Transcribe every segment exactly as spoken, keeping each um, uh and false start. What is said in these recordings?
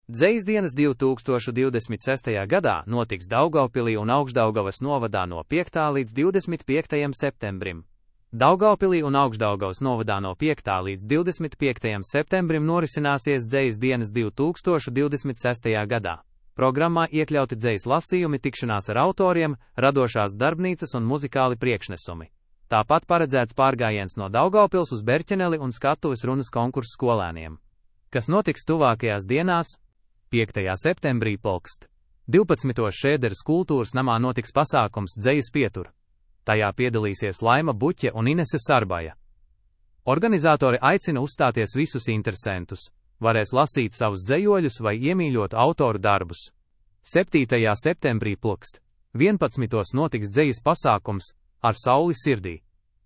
Dzejas dienas divi tūkstoši divdesmit sestajā gadā notiks Daugavpilī un Augšdaugavas novadā no piektā līdz divdesmit piektajam septembrim. Daugavpilī un Augšdaugavas novadā no piektā līdz divdesmit piektajam septembrim norisināsies Dzejas dienas divi tūkstoši divdesmit sestajā gadā. Programmā iekļauti dzejas lasījumi, tikšanās ar autoriem, radošās darbnīcas un muzikāli priekšnesumi. Tāpat paredzēts pārgājiens no Daugavpils uz Berķeneli un skatuves runas konkursu skolēniem. Kas notiks tuvākajās dienās? piektajā septembrī Polkst. divpadsmitos Šēderas kultūras namā notiks pasākums Dzejas pietur. Tajā piedalīsies Laima Buķe un Inese Sarbaja. Organizatori aicina uzstāties visus interesantus. Varēs lasīt savus dzejoļus vai iemīļot autoru darbus. septītajā septembrī Polkst. vienpadsmitos notiks dzejas pasākums Ar sauli sirdī.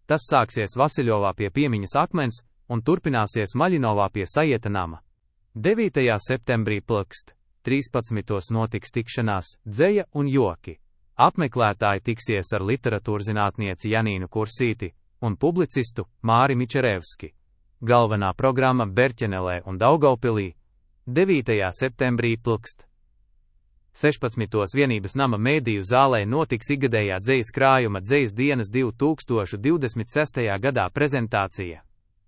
Tas sāksies Vasiļovā pie Piemiņas akmens un turpināsies Maļinovā pie Sajieta nama. devītajā septembrī Polkst. trīspadsmitos notiks tikšanās Dzeja un joki. Apmeklētāji tiksies ar literatūrzinātnieci Janīnu Kursīti un publicistu Māri Mičerevski. Galvenā programma Berķenelē un Daugavpilī. devītajā septembrī Polkst. sešpadsmitos Vienības nama mēdīju zālē notiks ikgadējā dzejas krājuma Dzejas dienas divi tūkstoši divdesmit sestajā gadā prezentācija.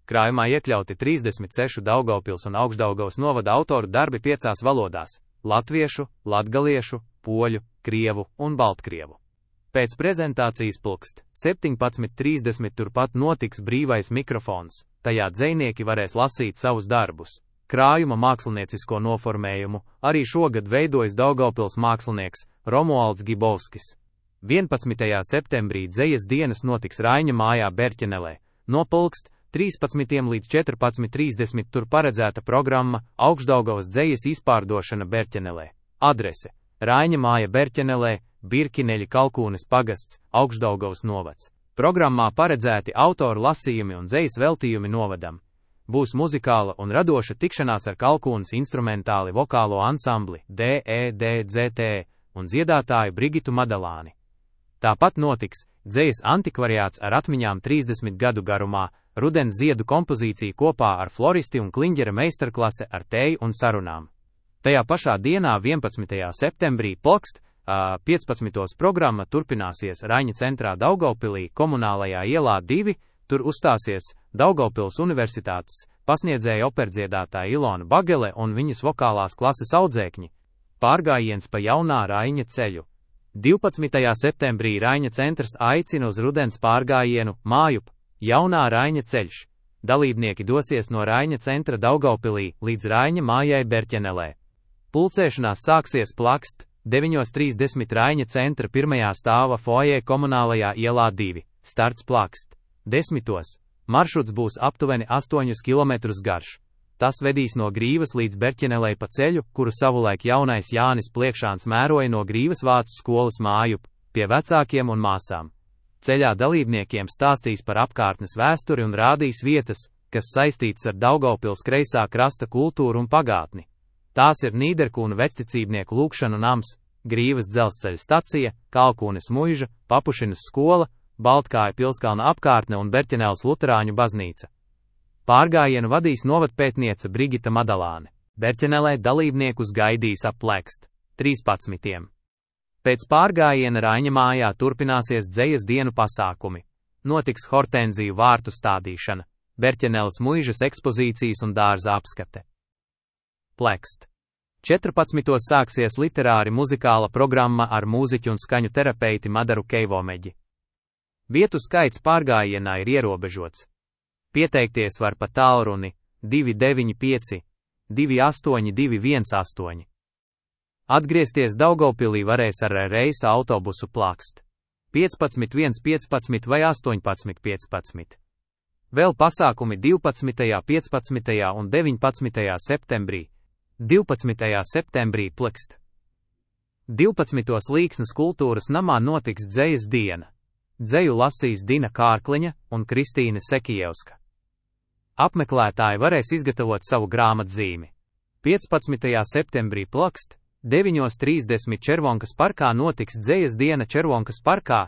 Krājumā iekļauti trīsdesmit seši Daugavpils un Augšdaugavas novada autoru darbi piecās valodās – latviešu, latgaliešu, poļu, krievu un baltkrievu. Pēc prezentācijas Polkst. septiņpadsmit trīsdesmit turpat notiks brīvais mikrofons, tajā dzejnieki varēs lasīt savus darbus. Krājuma māksliniecisko noformējumu arī šogad veidojas Daugavpils mākslinieks Romualds Gibovskis. vienpadsmitajā septembrī Dzejas dienas notiks Raiņa mājā Berķenelē. No Polkst. trīspadsmitiem līdz četrpadsmit trīsdesmit tur paredzēta programma Augšdaugavas dzejas izpārdošana Berķenelē. Adrese: Raiņa māja Berķenelē, Birkineļi Kalkūnes pagasts, Augšdaugavas novads. Programmā paredzēti autoru lasījumi un dzejas veltījumi novadam. Būs muzikāla un radoša tikšanās ar Kalkūnes instrumentāli vokālo ansambli D E D Z T un dziedātāju Brigitu Madalāni. Tāpat notiks dzejas antikvariāts ar atmiņām trīsdesmit gadu garumā, rudens ziedu kompozīcija kopā ar floristi un kliņģera meistarklase ar tēju un sarunām. Tajā pašā dienā vienpadsmitajā septembrī Polkst. piecpadsmitos programma turpināsies Raiņa centrā Daugavpilī komunālajā ielā divi, tur uzstāsies Daugavpils universitātes pasniedzēja operdziedātāja Ilona Bagele un viņas vokālās klases audzēkņi. Pārgājiens pa jaunā Raiņa ceļu. divpadsmitajā septembrī Raiņa centrs aicina uz rudens pārgājienu Mājup, jaunā Raiņa ceļš. Dalībnieki dosies no Raiņa centra Daugavpilī līdz Raiņa mājai Berķenelē. Pulcēšanās sāksies Plakst. deviņos trīsdesmit Raiņa centra pirmajā stāva foajē komunālajā ielā divi, starts Plakst. desmitos. Maršruts būs aptuveni astoņus kilometrus garš. Tas vedīs no Grīvas līdz Berķenelei pa ceļu, kuru savulaik jaunais Jānis Pliekšāns mēroja no Grīvas vācu skolas Mājup, pie vecākiem un māsām. Ceļā dalībniekiem stāstīs par apkārtnes vēsturi un rādīs vietas, kas saistītas ar Daugavpils kreisā krasta kultūru un pagātni. Tās ir Nīderkūnu vecticībnieku lūgšanu nams, Grīvas dzelzceļa stacija, Kalkūnes muiža, Papušinas skola, Baltkāja pilskalna apkārtne un Berķeneles luterāņu baznīca. Pārgājienu vadīs novadpētniece Brigita Madalāne. Berķenelē dalībniekus gaidīs ap Plakst. trīspadsmitiem. Pēc pārgājiena Raiņa mājā turpināsies dzejas dienu pasākumi. Notiks hortenziju vārtu stādīšana, Berķeneles muižas ekspozīcijas un dārza apskate. Plakst. četrpadsmitos sāksies literāri muzikāla programma ar mūziķu un skaņu terapeiti Madaru Keivomeģi. Vietu skaits pārgājienā ir ierobežots. Pieteikties var pa tālruni divi deviņi pieci, divi astoņi divi viens astoņi. Atgriezties Daugavpilī varēs ar reisa autobusu Plakst. piecpadsmit viens piecpadsmit vai astoņpadsmit piecpadsmit. Vēl pasākumi divpadsmitajā piecpadsmitajā un deviņpadsmitajā septembrī. divpadsmitajā septembrī Plakst. divpadsmitos Līksnes kultūras namā notiks dzejas diena. Dzeju lasīs Dina Kārkliņa un Kristīne Sekijevska. Apmeklētāji varēs izgatavot savu grāmatzīmi. piecpadsmitajā septembrī Plakst. deviņos trīsdesmit Červonkas parkā notiks dzejas diena Červonkas parkā.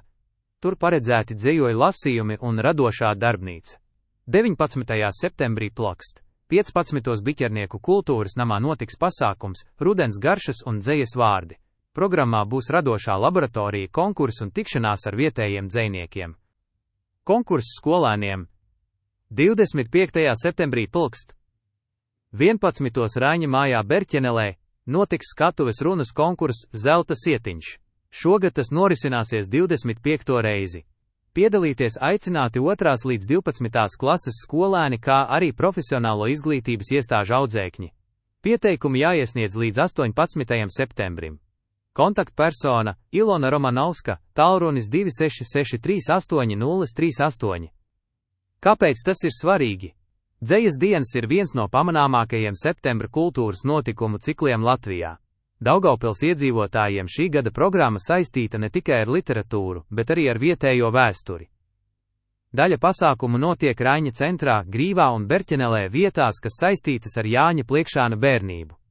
Tur paredzēti dzejoļu lasījumi un radošā darbnīca. deviņpadsmitajā septembrī Plakst. piecpadsmitos Biķernieku kultūras namā notiks pasākums Rudens garšas un dzejas vārdi. Programmā būs radošā laboratorija, konkurss un tikšanās ar vietējiem dzejniekiem. Konkurss skolēniem divdesmit piektajā septembrī pulkst vienpadsmitos Raiņa mājā Berķenelē notiks skatuves runas konkurss Zelta sietiņš. Šogad tas norisināsies divdesmit piekto reizi. Piedalīties aicināti otrās līdz divpadsmitās klases skolēni, kā arī profesionālo izglītības iestāžu audzēkņi. Pieteikumi jāiesniedz līdz astoņpadsmitajam septembrim. Kontaktpersona Ilona Romanovska, tālrunis divi seši seši trīs astoņi nulle trīs astoņi. Kāpēc tas ir svarīgi? Dzejas dienas ir viens no pamanāmākajiem septembra kultūras notikumu cikliem Latvijā. Daugavpils iedzīvotājiem šī gada programma saistīta ne tikai ar literatūru, bet arī ar vietējo vēsturi. Daļa pasākumu notiek Raiņa centrā, Grīvā un Berķenelē vietās, kas saistītas ar Jāņa Pliekšāna bērnību.